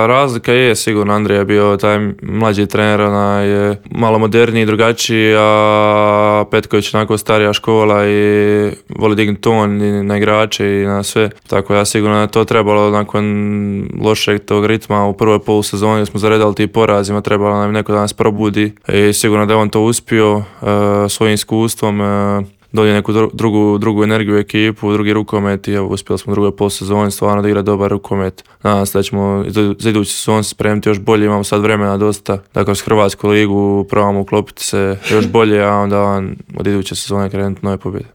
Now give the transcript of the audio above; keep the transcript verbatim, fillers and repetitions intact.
Razlika je sigurno, Andrija je bio taj mlađi trener, ona je malo moderniji, drugačiji, a Petković onako starija škola i voli dignuti ton i na igrače i na sve. Tako ja sigurno da to trebalo nakon lošeg tog ritma u prvoj polusezoni smo zaredali ti porazima, trebalo nam neko da nas probudi i sigurno da je on to uspio uh, svojim iskustvom. Uh, donio neku drugu, drugu energiju u ekipu, drugi rukomet i evo, uspjeli smo u drugoj polsezoni stvarno da igra dobar rukomet. Nadam se da ćemo za idući sezon se spremiti još bolje, imamo sad vremena dosta da kroz Hrvatsku ligu probamo uklopiti se još bolje, a onda od iduće sezone krenuti nove pobjede.